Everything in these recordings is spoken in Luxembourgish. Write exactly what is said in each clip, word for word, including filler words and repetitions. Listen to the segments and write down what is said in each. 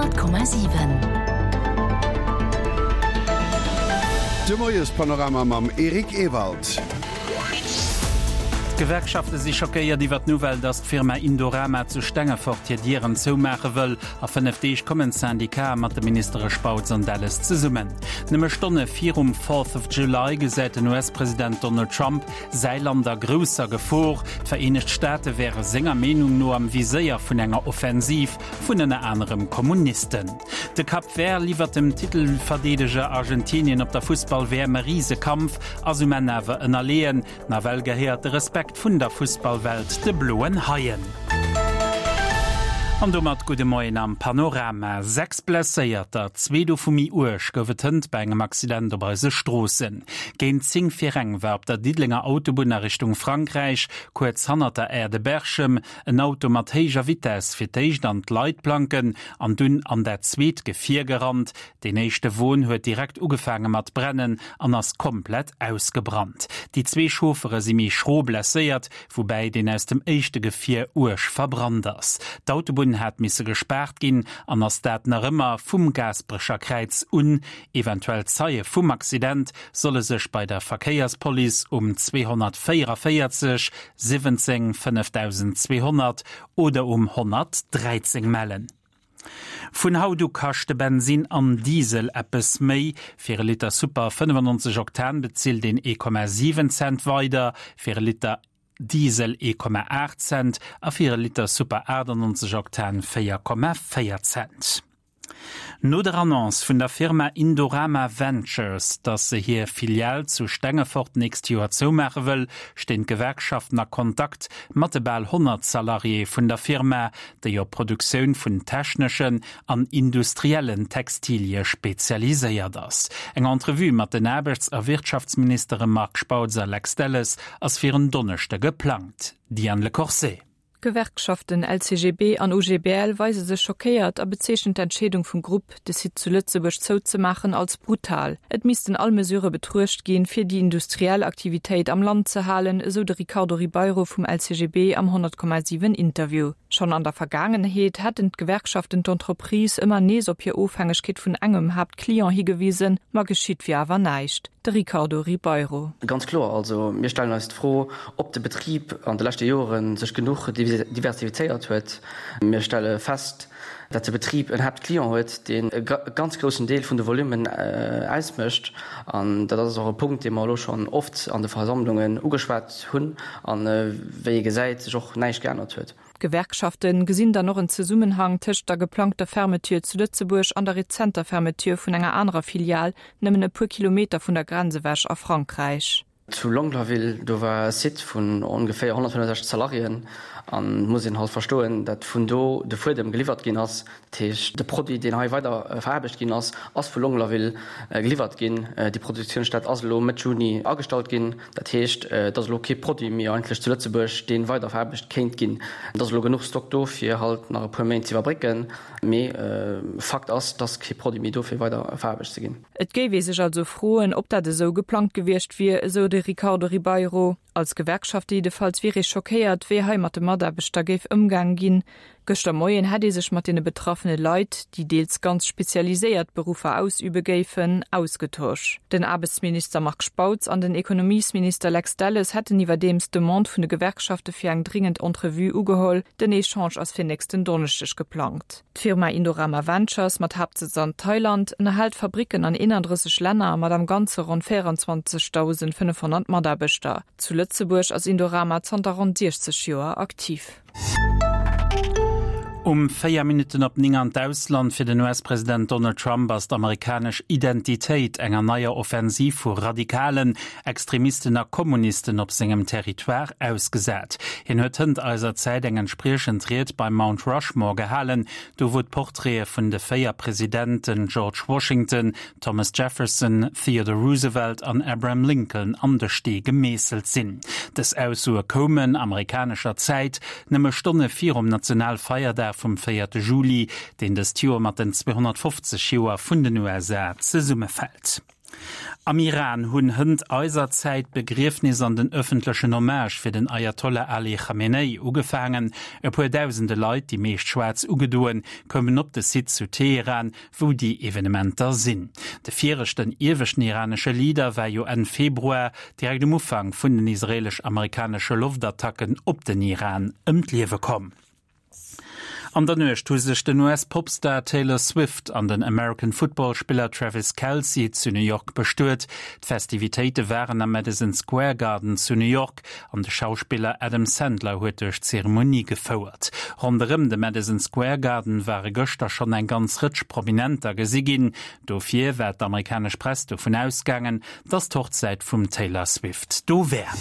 Honnert Komma siwen. De Moiespanorama mam Eric Ewald. D'Gewerkschafte si schockéiert iwwer d'Nouvelle, datt d'Firma Indorama zu Stengefort hir Dieren zoumaache wëll. A fënnef Deeg kommen d'Syndicaten mat de Ministere Spautz an Delles zesummen. Nëmme Stonne virum Fourth of July gesäit den US-President Donald Trump säi Land a grousser Gefor. D'Vereenegt Staate wäre senger Meenung no am Viséier vun enger Offensiv vun ënner anerem Kommunisten. De Cap Vert liwwert dem Titelverdeedeger Argentinien op der Fussball-W M e Risekampf, ass um Enn awer ënnerleeën. Nawell gehéiert de Respekt vun der Fussballwelt de Bloen Haien. An domat gudde Moien am Panorama. Sechs Blesséierter, zwee dovu méi uerg, gouf et hënt bei engem Accident op eise Stroossen. Géint zéng vir eng war op der Diddelenger Autobunn a Richtung Frankräich, kuerz hannert der Aire de Berchem, en Auto mat héijer Vitess fir d'éischt an d'Leitplanken an dunn an dat zweet Gefier gerannt. Deen éischte Won huet direkt ugefaange mat brennen an ass komplett ausgebrannt. Déi zwee Chauffere si méi schro blesséiert, woubäi deen aus dem éischte Gefier uerg verbrannt ass. D'Autobunn hat misse gespaart ginn an ass dat nach ëmmer vum Gaasperecher Kräiz un. Eventuell Zeie vum Accident solle sech bei der Verkéierspolice um zweehonnertvéierunvéierzeg siwwenzéng fënnefdausendzweehonnert oder um honnertdräizéng mellen. Vun haut u kaschte Bensin an Diesel eppes méi. Fir e Liter Super fënnefannonzeg Oktan bezilt een ee Komma siwen Cent weider, fir e Liter Diesel ee Komma aacht Cent a fir e Liter Super aachtannonzeg Oktan véier Komma véier Cent. No der Annonce vun der Firma Indorama Ventures, datt se hir Filial zu Stengefort d'nächst Joer zoumaache wëll, stinn d'Gewerkschaften a Kontakt mat de bal honnert Salariéë vun der Firma, déi op d'Produktioun vun techneschen an industriellen Textilie spezialiséiert ass. Eng Entrevue mat den Aarbechts a Wirtschaftsministere Marc Spautz a Lex Delles ass fir en Donneschde geplangt. Diane Lecorset. D'Gewerkschaften L C G B an U G B L weise sech schockéiert a bezeechnen d'Entscheedung vum Grupp, de Site zu Lëtzebuerg zouzemaachen, als brutal. Et missten all Mesure betruecht ginn, fir déi industriell Aktivitéit am Land ze halen, esou de Ricardo Ribeiro vum L C G B am honnert Komma siwen Interview. Schonn an der Vergaangenheet hätten d'Gewerkschaften d'Entreprise ëmmer nees op hir Ofhängegkeet vun engem Haaptclient higewisen, ma geschitt wier awer näischt. De Ricardo Ribeiro. Ganz kloer, also mir stellen eis d'Fro, ob de Betrib an de leschte Joren sech genuch diversifizéiert huet. Mir stelle fest, datt de Betrib en Haaptclient huet, deen e ganz groussen Deel vun de Volumen ausmécht. An dat ass och e Punkt, dee mer elo schonn oft an de Versammlungen ugeschwat hunn an, wéi ee gesäit, sech och näischt geännert huet. D'Gewerkschaften gesinn dann och en Zesummenhang tëscht der geplangter Fermeture zu Lëtzebuerg an der rezenter Fermeture vun enger anerer Filial, nëmmen e puer Kilometer vun der Grenz ewech a Frankräich. Zu Longlaville, do war e Site vun ongeféier honnertfënnefsechzeg Salariéen an muss een halt verstoen, dat vun do de Fuedem geliwwert ginn ass. Dat heescht, de Produit, deen hei weider veraarbecht ginn ass, ass vu Longlaville geliwwert ginn. Déi Produktiounsstätt ass elo Mëtt Juni agestallt ginn. Dat heescht, et ass elo kee Produit méi eigentlech zu Lëtzebuerg, dee weider veraarbecht kéint ginn. Et ass elo genuch Stock do, fir halt nach e puer Méint ze iwwerbrécken. Mee Fakt ass, dass kee Produit méi do fir weider veraarbecht ze ginn. Et géif ee sech also froen, ob dat esou geplangt gewiescht wier, esou de Ricardo Ribeiro. Als Gewerkschaft jiddefalls wier ee schockéiert, wéi hei mat de Mataarbechter géif ëmgaange ginn. Gëschter Moien hätt ee sech mat deene betraffene Leit, déi deels ganz spezialiséiert Beruffer ausübe géifen, ausgetosch. Den Aarbechtsminister Marc Spautz an den Ekonomiesminister Lex Delles hätten iwwerdeems d'Demande vun de Gewerkschafte fir eng dringend Entrevue ugeholl. Den Echange ass fir nächsten Donneschdeg geplangt. D'Firma Indorama Ventures mat Haaptsëtz an Thailand ënnerhält Fabricken an eenanddrësseg Länner mat am Ganze ronn véierundzwanzegdausendfënnefhonnert Mataarbechter. Zu Lëtzebuerg ass Indorama zanter ronn siechzeg Joer aktiv. Um véier Minutten op néng an d'Ausland. Fir den U S-President Donald Trump ass d'amerikanesch Identitéit enger neier Offensiv vu Radikalen, Extremisten a Kommunisten op sengem Territoire ausgesat. Hien huet hënt eiser Zäit eng entspriechend Ried beim Mount Rushmore gehalen, do wou d'Porträte vun de véier Presidenten George Washington, Thomas Jefferson, Theodore Roosevelt an Abraham Lincoln an de Stee gemeesselt sinn. Dës Aussoe koumen amerikanescher Zäit nëmme Stonne virum Nationalfeierdag vum véierte Juli, deen dëst Joer mat den zweehonnertfofzeg Joer vun den U S A zesummefält. Am Iran hunn hënt eiser Zäit d'Begriefnis an den ëffentlechen Hommage fir den Ayatollah Ali Khamenei ugefaangen. E puer dausende Leit, déi meescht schwaarz ugedoen, koumen op de Site zu Teheran, wou déi Evenementer sinn. De viregten ieweschten iranesche Leader war jo Enn Februar, direkt um Ufank vun den israelesch-amerikanesche Loftattacken op den Iran, ëm d'Liewe komm. An der Nuecht hu sech den US-Popstar Taylor Swift an den American Football Spiller Travis Kelce zu New York bestuet. D'Festivitéite waren am Madison Square Garden zu New York an de Schauspiller Adam Sandler huet duerch d'Zeremonie gefouert. Ronderëm de Madison Square Garden ware gëschter schonn eng ganz Rëtsch Prominenter gesi ginn. Dofir war d'amerikanesch Press dovun ausgaangen, dass d'Hochzäit vum Taylor Swift do wär.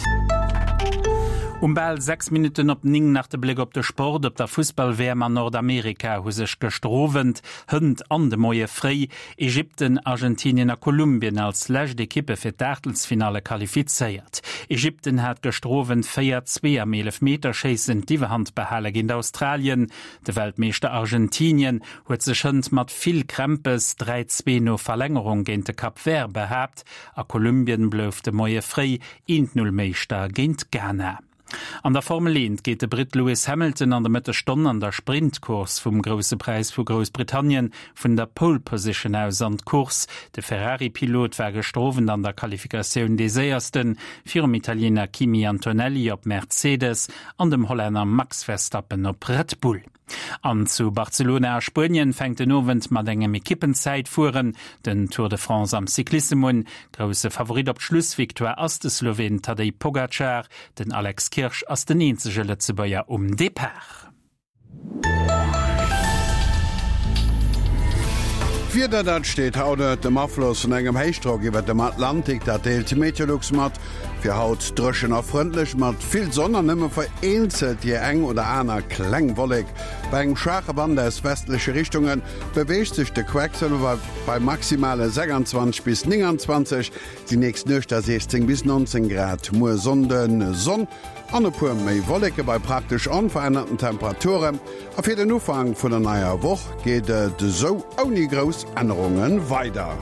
Um bal sechs Minutten op néng nach de Bléck op de Sport, Op der Fussball-WM an Nordamerika hu sech gëschter Owend, hënt an de Moie fréi Ägypten, Argentinien a Kolumbien als lescht Ekippe fir d'Aachtelsfinalle qualifizéiert. Ägypten hat gëschter Owend véier, zwee am Eelefmeterschéissen d'Iwwerhand behale géint Australien. De Weltmeeschter Argentinien huet sech hënt mat vill Krämpes dräi, zwee no Verlängerung géint de Cap Vert behaapt a Kolumbien blouf de Moie fréi eent, null Meeschter géint Ghana. An der Formel eent geet de Britt Lewis Hamilton an der Mëttesstonn an der Sprintcourse vum Grousse Präis vu Groussbritannien vun der Pole Position aus an d'Course. De Ferrari-Pilot war gëschter Owend an der Qualifikatioun dee Séiersten, virum Italiener Kimi Antonelli op Mercedes an dem Hollänner Max Verstappen op Red Bull. An zu Barcelona a Spuenien fänkt den Owend mat engem Ekippenzäitfueren den Tour de France am Cyclissem un. Grousse Favorit op d'Schlussvictoire ass de Sloween Tadej Pogacar. Den Alex Kirsch ass den eenzege Lëtzebuerger um Depart. D'Wieder, dat steet haut ënnert dem Afloss vun engem Héichdrock iwwert dem Atlantik, dat deelt Meteolux mat. Fir haut dréchen a frëndlech mat vill Sonn an nëmme vereenzelt déi eng oder aner kleng Wollek. Bei engem schwaache Wand aus westleche Richtunge beweegt sech de Quecksëlwer bei maximale sechsundzwanzeg bis nénganzwanzeg, déi nächst Nuecht da siechzéng bis nonzéng Grad. Muer Sonnde Sonn an e puer méi Wolleke bei praktesch onverännerten Temperaturen. A fir den Ufank vun der neier Woch geet et esou ouni grouss Ännerunge weider.